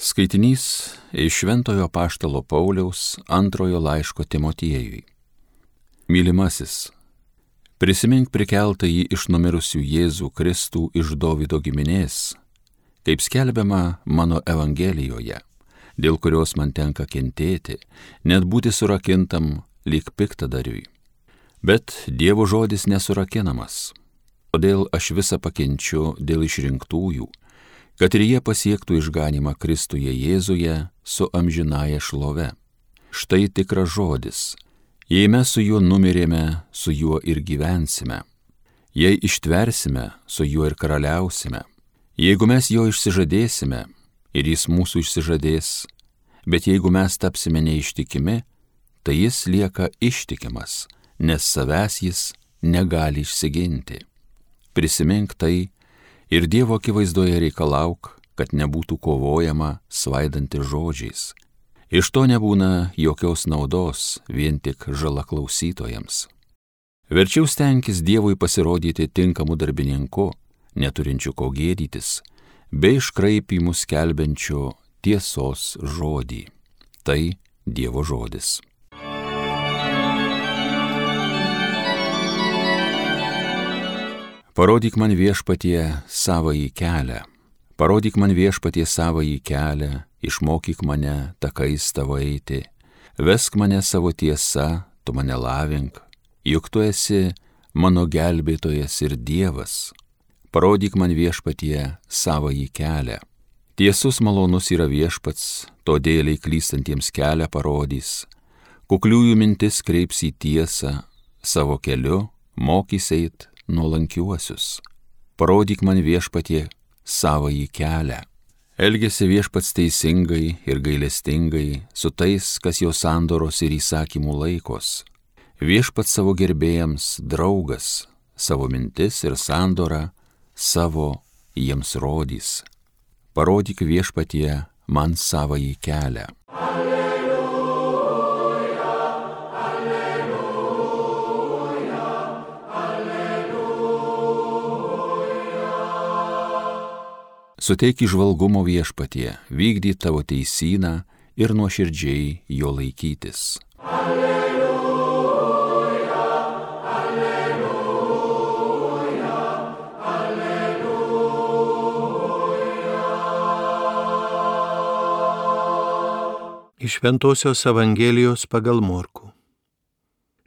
Skaitinys iš Šventojo Apaštalo Pauliaus antrojo laiško Timotiejui. Mylimasis, prisimink prikeltąjį iš numirusių Jėzų Kristų iš Dovydo giminės, kaip skelbiama mano Evangelijoje, dėl kurios man tenka kentėti, net būti surakintam lyg piktadariui. Bet Dievo žodis nesurakinamas, todėl aš visą pakenčiu dėl išrinktųjų, kad ir jie pasiektų išganymą Kristuje Jėzuje su amžinąja šlove. Štai tikras žodis. Jei mes su juo numirėme, su juo ir gyvensime. Jei ištversime, su juo ir karaliausime. Jeigu mes jo išsižadėsime, ir jis mūsų išsižadės, bet jeigu mes tapsime neištikimi, tai jis lieka ištikimas, nes savęs jis negali išsiginti. Prisimink tai ir Dievo akivaizdoje reikalauk, kad nebūtų kovojama svaidantis žodžiais. Iš to nebūna jokios naudos, vien tik žala klausytojams. Verčiau stenkis Dievui pasirodyti tinkamu darbininku, neturinčiu ko gėdytis, bei iškraipymų skelbiančiu tiesos žodį. Tai Dievo žodis. Parodyk man Viešpatie savąjį kelią, parodyk man Viešpatie savąjį kelią, išmokyk mane takais tavo eiti, vesk mane savo tiesa, tu mane lavink, juk tu esi mano gelbėtojas ir Dievas. Parodyk man Viešpatie savąjį kelią. Tiesus malonus yra Viešpats, todėl klystantiems kelią parodys, kukliųjų mintis kreips į tiesą, savo keliu mokys eit nuolankiuosius. Parodyk man Viešpatie savąjį kelią. Elgiasi Viešpats teisingai ir gailestingai su tais, kas jo sandoros ir įsakymų laikos. Viešpats savo gerbėjams draugas, savo mintis ir sandorą savo jiems rodys. Parodyk Viešpatie man savąjį kelią. Suteik įžvalgumo Viešpatie, vykdyk tavo teisyną ir nuoširdžiai jo laikytis. Alleluja, alleluja, alleluja. Iš Šventosios Evangelijos pagal Morkų.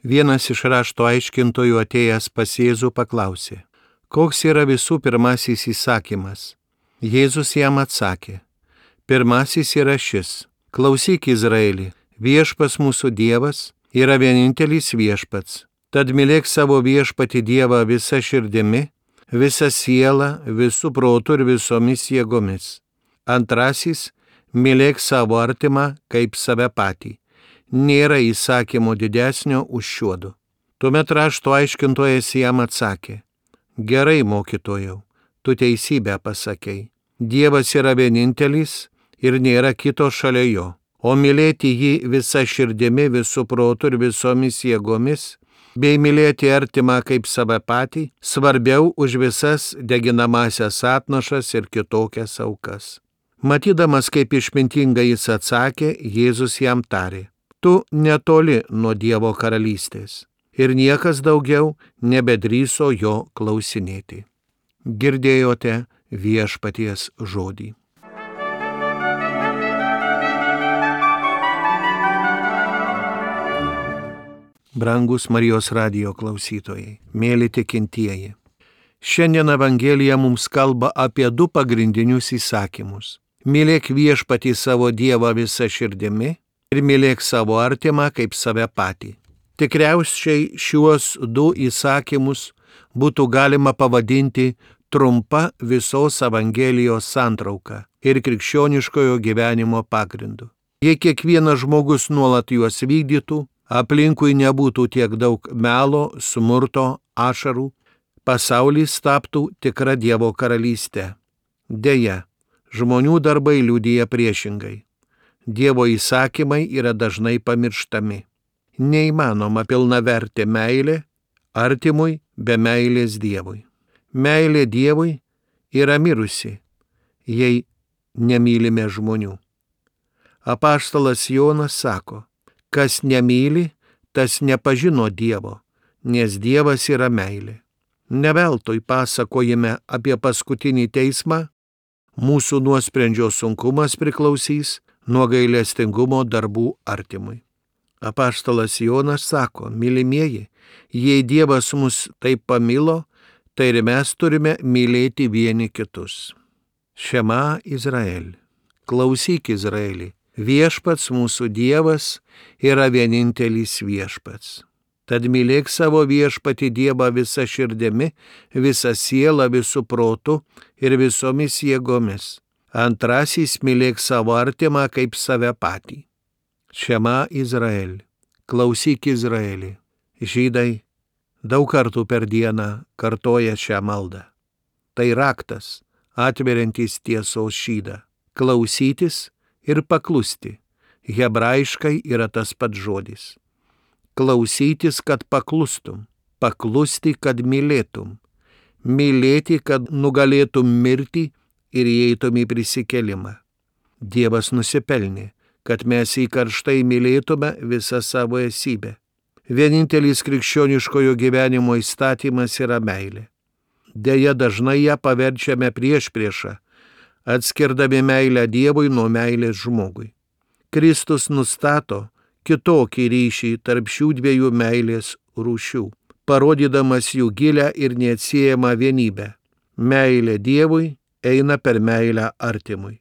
Vienas iš rašto aiškintojų atėjęs pas Jėzų paklausė, koks yra visų pirmasis įsakymas? Jėzus jam atsakė, pirmasis yra šis, klausyk Izraeli, Viešpats mūsų Dievas yra vienintelis Viešpats, tad mylėk savo Viešpatį Dievą visa širdimi, visa siela, visų protų ir visomis jėgomis. Antrasis, mylėk savo artimą kaip save patį. Nėra įsakymo didesnio už šiuodu. Tuomet rašto aiškintojas jam atsakė, gerai, mokytojau, tu teisybę pasakei. Dievas yra vienintelis ir nėra kito šalia jo, o mylėti jį visa širdimi, visų protų ir visomis jėgomis, bei mylėti artimą kaip save patį, svarbiau už visas deginamąsias atnašas ir kitokias aukas. Matydamas, kaip išmintingai jis atsakė, Jėzus jam tarė, tu netoli nuo Dievo karalystės, ir niekas daugiau nebedrįso jo klausinėti. Girdėjote Viešpaties žodį. Brangus Marijos radijo klausytojai, mėly tikintieji, šiandien Evangelija mums kalba apie du pagrindinius įsakymus. Mylėk Viešpatį savo Dievą visą širdimi ir mylėk savo artimą kaip save patį. Tikriausiai šiuos du įsakymus būtų galima pavadinti trumpa visos Evangelijos santrauka ir krikščioniškojo gyvenimo pagrindu. Jei kiekvienas žmogus nuolat juos vykdytų, aplinkui nebūtų tiek daug melo, smurto, ašarų, pasaulis taptų tikra Dievo karalystė. Deja, žmonių darbai liudija priešingai. Dievo įsakymai yra dažnai pamirštami. Neįmanoma pilnavertė meilė artimui be meilės Dievui. Meilė Dievui yra mirusi, jei nemylime žmonių. Apaštalas Jonas sako, kas nemyli, tas nepažino Dievo, nes Dievas yra meilė. Ne veltui pasakojime apie paskutinį teismą mūsų nuosprendžio sunkumas priklausys nuo gailestingumo darbų artimui. Apaštalas Jonas sako, mylimieji, jei Dievas mus taip pamilo, tai ir mes turime mylėti vieni kitus. Šema Izraeli, klausyk Izraeli, viešpats mūsų Dievas yra vienintelis viešpats. Tad mylėk savo viešpatį Dievą visą širdimi, visą sielą, visų protų ir visomis jėgomis. Antrasis mylėk savo artimą kaip save patį. Šema Izraeli, klausyk Izraeli. Žydai daug kartų per dieną kartoja šią maldą. Tai raktas, atveriantis tiesos šydą. Klausytis ir paklusti. Hebrajiškai yra tas pats žodis. Klausytis, kad paklustum. Paklusti, kad mylėtum. Mylėti, kad nugalėtum mirtį ir įeitum į prisikėlimą. Dievas nusipelnė, kad mes jį karštai mylėtume visą savo esybę. Vienintelis krikščioniškojo gyvenimo įstatymas yra meilė. Deja, dažnai ją paverčiame priešpriešą, atskirdami meilę Dievui nuo meilės žmogui. Kristus nustato kitokį ryšį tarp šių dviejų meilės rūšių, parodydamas jų gilią ir neatsiejamą vienybę. Meilė Dievui eina per meilę artimui,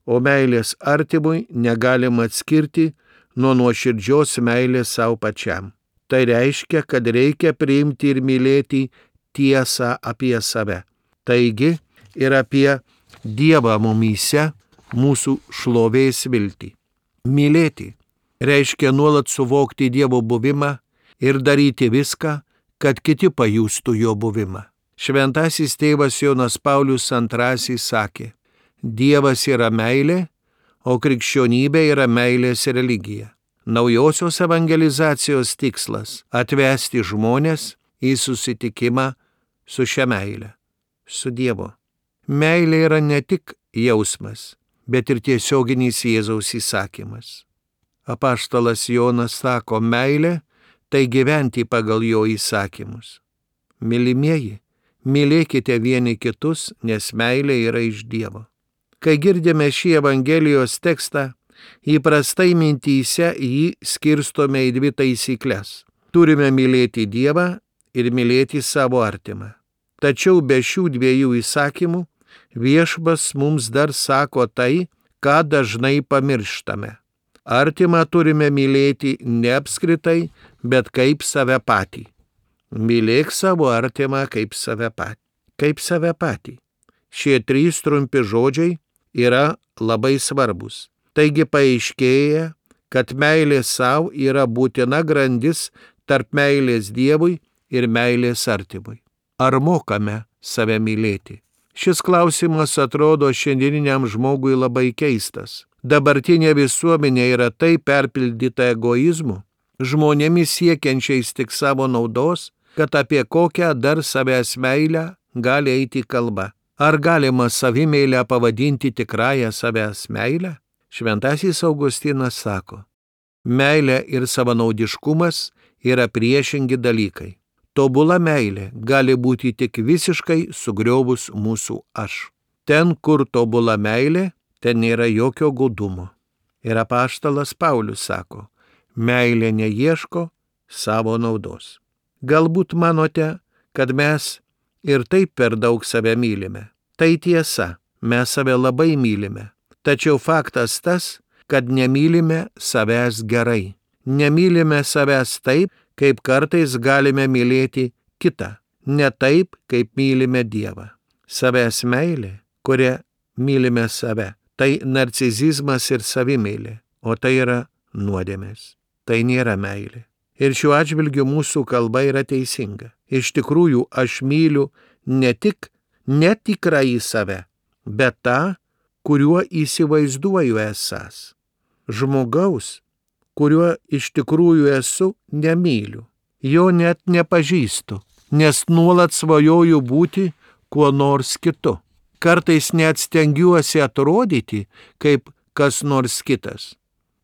o meilės artimui negalima atskirti nuo nuoširdžios meilės savo pačiam. Tai reiškia, kad reikia priimti ir mylėti tiesą apie save. Taigi ir apie Dievą mumyse, mūsų šlovės viltį. Mylėti reiškia nuolat suvokti Dievo buvimą ir daryti viską, kad kiti pajustų jo buvimą. Šventasis tėvas Jonas Paulius II sakė, Dievas yra meilė, o krikščionybė yra meilės religija. Naujosios evangelizacijos tikslas – atvesti žmones į susitikimą su šia meile, su Dievu. Meilė yra ne tik jausmas, bet ir tiesioginis Jėzaus įsakymas. Apaštalas Jonas sako, meilė – tai gyventi pagal jo įsakymus. Mylimieji, mylėkite vieni kitus, nes meilė yra iš Dievo. Kai girdime šį Evangelijos tekstą, įprastai mintyse jį skirstome į dvi taisyklės. Turime mylėti Dievą ir mylėti savo artimą. Tačiau be šių dviejų įsakymų Viešpats mums dar sako tai, ką dažnai pamirštame. Artimą turime mylėti ne apskritai, bet kaip save patį. Mylėk savo artimą kaip save patį. Kaip save patį. Šie trys trumpi žodžiai yra labai svarbus. Taigi paaiškėja, kad meilė savo yra būtina grandis tarp meilės Dievui ir meilės artimui. Ar mokame save mylėti? Šis klausimas atrodo šiandieniniam žmogui labai keistas. Dabartinė visuomenė yra taip perpildyta egoizmu, žmonėmis siekiančiais tik savo naudos, kad apie kokią dar savęs meilę gali eiti kalba. Ar galima savimeilę pavadinti tikrąją savęs meilę? Šventasis Augustinas sako, meilė ir savanaudiškumas yra priešingi dalykai. Tobula meilė gali būti tik visiškai sugriovus mūsų aš. Ten, kur tobula meilė, ten nėra jokio godumo. Ir apaštalas Paulius sako, meilė neieško savo naudos. Galbūt manote, kad mes ir taip per daug save mylime. Tai tiesa, mes save labai mylime. Tačiau faktas tas, kad nemylime savęs gerai. Nemylime savęs taip, kaip kartais galime mylėti kitą. Ne taip, kaip mylime Dievą. Savęs meilė, kuria mylime save. Tai narcizizmas ir savimeilė, o tai yra nuodėmės. Tai nėra meilė. Ir šiuo atžvilgiu mūsų kalba yra teisinga. Iš tikrųjų, aš myliu ne tik netikrąjį save, bet tą, kuriuo įsivaizduoju esąs. Žmogaus, kuriuo iš tikrųjų esu, nemyliu. Jo net nepažįstu, nes nuolat svajoju būti kuo nors kitu. Kartais net stengiuosi atrodyti kaip kas nors kitas.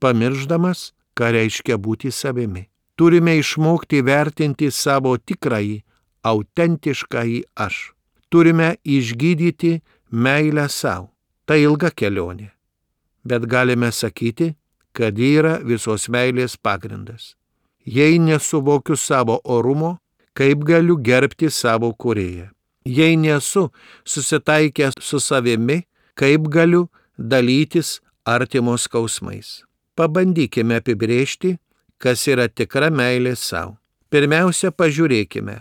pamiršdamas, ką reiškia būti savimi. Turime išmokti vertinti savo tikrąjį, autentiškąjį aš. Turime išgydyti meilę savo. Tai ilga kelionė. Bet galime sakyti, kad ji yra visos meilės pagrindas. Jei nesuvokiu savo orumo, kaip galiu gerbti savo kūrėją? Jei nesu susitaikęs su savimi, kaip galiu dalytis artimo skausmais? Pabandykime apibrėžti, kas yra tikra meilė savo. Pirmiausia, pažiūrėkime,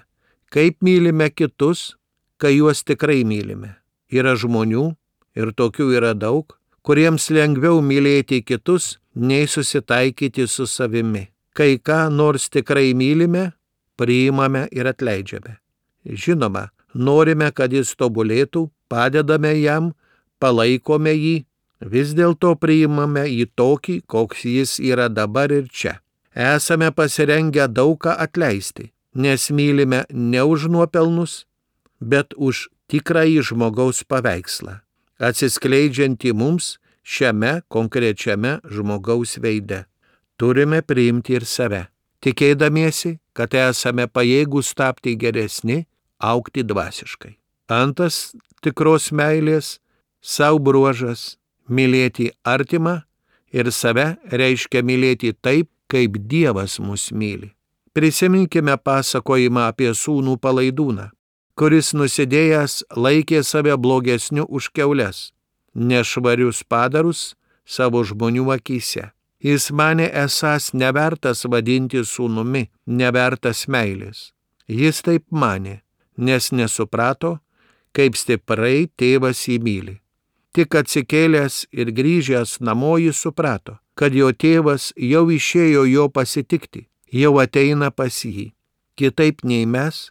kaip mylime kitus, kai juos tikrai mylime. Yra žmonių, ir tokių yra daug, kuriems lengviau mylėti kitus, nei susitaikyti su savimi. Kai ką nors tikrai mylime, priimame ir atleidžiame. Žinoma, norime, kad jis tobulėtų, padedame jam, palaikome jį, vis dėlto priimame jį tokį, koks jis yra dabar ir čia. Esame pasirengę daug ką atleisti, nes mylime ne už nuopelnus, bet už tikrąjį žmogaus paveikslą, atsiskleidžiantį mums šiame konkrečiame žmogaus veide. Turime priimti ir save, tikėdamiesi, kad esame pajėgūs tapti geresni, augti dvasiškai. Antras tikros meilės savo bruožas – mylėti artimą ir save reiškia mylėti taip, kaip Dievas mus myli. Prisiminkime pasakojimą apie sūnų Palaidūną, kuris nusidėjęs laikė save blogesniu už kiaules, nešvarius padarus savo žmonių akyse. Jis manė esąs nevertas vadinti sūnumi, nevertas meilės. Jis taip manė, nes nesuprato, kaip stiprai tėvas jį myli. Tik atsikėlęs ir grįžęs namo jis suprato, kad jo tėvas jau išėjo jo pasitikti, jau ateina pas jį. Kitaip nei mes,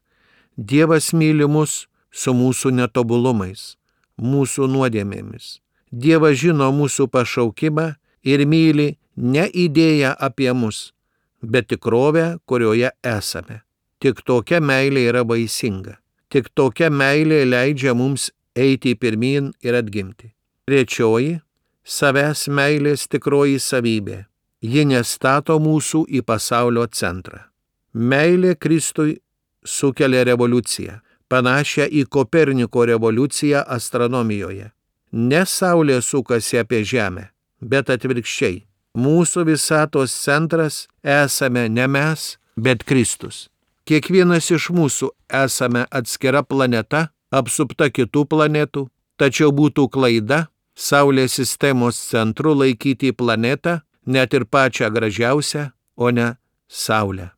Dievas myli mus su mūsų netobulumais, mūsų nuodėmėmis. Dievas žino mūsų pašaukimą ir myli ne idėją apie mus, bet tikrovę, kurioje esame. Tik tokia meilė yra vaisinga. Tik tokia meilė leidžia mums eiti pirmyn ir atgimti. Trečioji – savęs meilės tikroji savybė. Ji nestato mūsų į pasaulio centrą. Meilė Kristui sukelia revoliuciją, panašią į Koperniko revoliuciją astronomijoje. Ne Saulė sukasi apie Žemę, bet atvirkščiai. Mūsų visatos centras esame ne mes, bet Kristus. Kiekvienas iš mūsų esame atskira planeta, apsupta kitų planetų, tačiau būtų klaida Saulės sistemos centru laikyti planetą, net ir pačią gražiausią, o ne Saulę.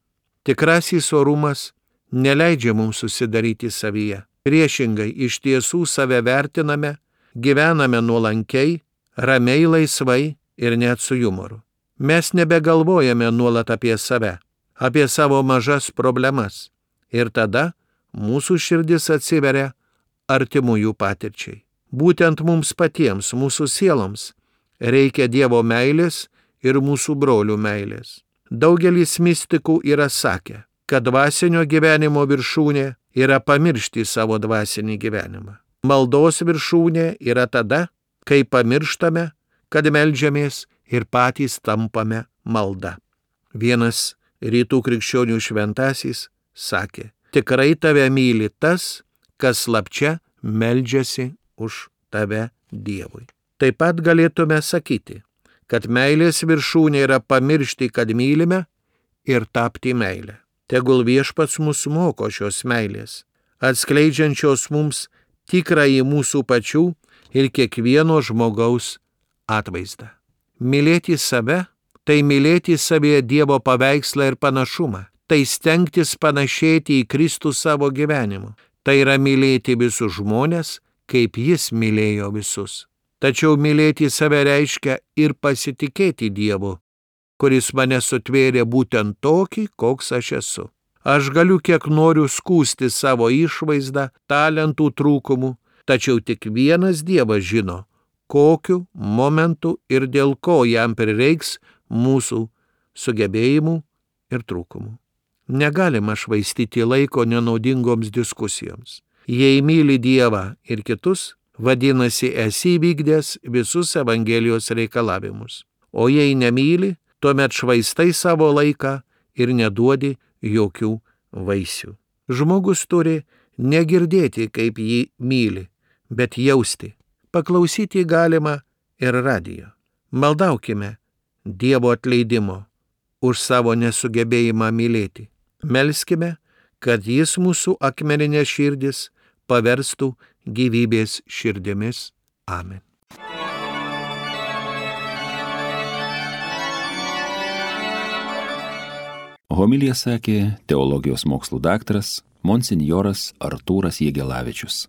Tikrasis orumas neleidžia mums susidaryti savyje. Priešingai, iš tiesų save vertiname, gyvename nuolankiai, ramiai, laisvai ir net su jumoru. Mes nebegalvojame nuolat apie save, apie savo mažas problemas. Ir tada mūsų širdis atsiveria artimųjų patirčiai. Būtent mums patiems, mūsų sieloms, reikia Dievo meilės ir mūsų brolių meilės. Daugelis mistikų yra sakę, kad dvasinio gyvenimo viršūnė yra pamiršti savo dvasinį gyvenimą. Maldos viršūnė yra tada, kai pamirštame, kad meldžiamės ir patys tampame malda. Vienas rytų krikščionių šventasis sakė, tikrai tave myli tas, kas slapčia meldžiasi už tave Dievui. Taip pat galėtume sakyti, kad meilės viršūnė yra pamiršti, kad mylime ir tapti meilę. Tegul Viešpats mus moko šios meilės, atskleidžiančios mums tikrąjį mūsų pačių ir kiekvieno žmogaus atvaizdą. Mylėti save – tai mylėti savyje Dievo paveikslą ir panašumą, tai stengtis panašėti į Kristų savo gyvenimu, tai yra mylėti visus žmones, kaip Jis mylėjo visus. Tačiau mylėti save reiškia ir pasitikėti Dievu, kuris mane sutvėrė būtent tokį, koks aš esu. Aš galiu kiek noriu skųsti savo išvaizdą, talentų trūkumų, tačiau tik vienas Dievas žino, kokiu momentu ir dėl ko jam prireiks mūsų sugebėjimų ir trūkumų. Negalima švaistyti laiko nenaudingoms diskusijoms. Jei myli Dievą ir kitus, vadinasi, esi įvykdęs visus Evangelijos reikalavimus. o jei nemyli, tuomet švaistai savo laiką ir neduodi jokių vaisių. Žmogus turi negirdėti, kaip jį myli, bet jausti. Paklausyti galima ir radijo. Maldaukime Dievo atleidimo už savo nesugebėjimą mylėti. Melskime, kad Jis mūsų akmeninės širdis paverstų gyvybės širdimis. Amen. Homiliją sakė teologijos mokslų daktaras monsinjoras Artūras Jegelavičius.